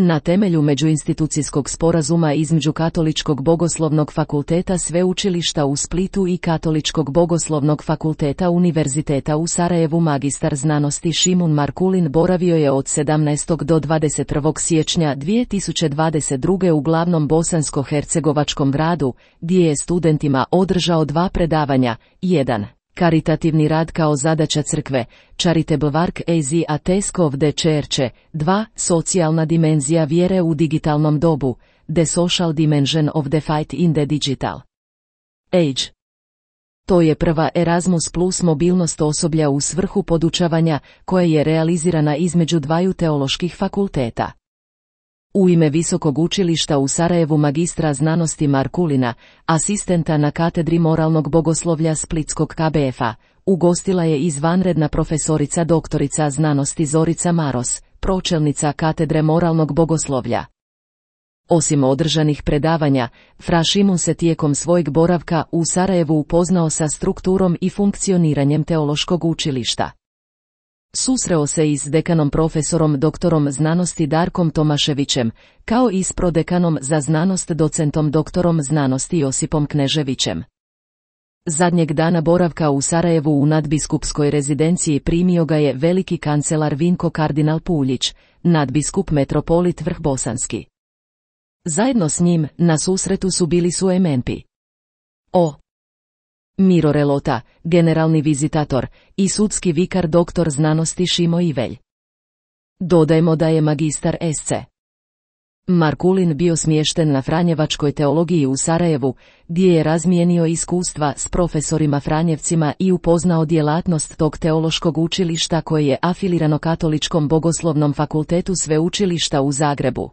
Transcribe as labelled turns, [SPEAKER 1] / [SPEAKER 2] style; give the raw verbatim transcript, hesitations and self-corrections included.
[SPEAKER 1] Na temelju međuinstitucijskog sporazuma između Katoličkog bogoslovnog fakulteta Sveučilišta u Splitu i Katoličkog bogoslovnog fakulteta Univerziteta u Sarajevu magistar znanosti Šimun Markulin boravio je od sedamnaestog do dvadeset prvog siječnja dvije tisuće dvadeset druge u glavnom bosansko-hercegovačkom gradu, gdje je studentima održao dva predavanja, jedan. Karitativni rad kao zadaća crkve, Charitable work as a task of the church, dva. Socijalna dimenzija vjere u digitalnom dobu, The social dimension of the fight in the digital age. To je prva Erasmus plus mobilnost osoblja u svrhu podučavanja, koja je realizirana između dvaju teoloških fakulteta. U ime Visokog učilišta u Sarajevu magistra znanosti Markulina, asistenta na katedri moralnog bogoslovlja Splitskog K B F-a, ugostila je izvanredna profesorica doktorica znanosti Zorica Maros, pročelnica katedre moralnog bogoslovlja. Osim održanih predavanja, fra Šimun se tijekom svojeg boravka u Sarajevu upoznao sa strukturom i funkcioniranjem teološkog učilišta. Susreo se i s dekanom profesorom doktorom znanosti Darkom Tomaševićem, kao i s prodekanom za znanost docentom doktorom znanosti Josipom Kneževićem. Zadnjeg dana boravka u Sarajevu u nadbiskupskoj rezidenciji primio ga je veliki kancelar Vinko kardinal Puljić, nadbiskup metropolit Vrhbosanski. Zajedno s njim na susretu su bili su M N P O Miro Relota, generalni vizitator, i sudski vikar doktor znanosti Šimo Ivelj. Dodajmo da je magistar S C Markulin bio smješten na Franjevačkoj teologiji u Sarajevu, gdje je razmijenio iskustva s profesorima Franjevcima i upoznao djelatnost tog teološkog učilišta koje je afilirano Katoličkom bogoslovnom fakultetu Sveučilišta u Zagrebu.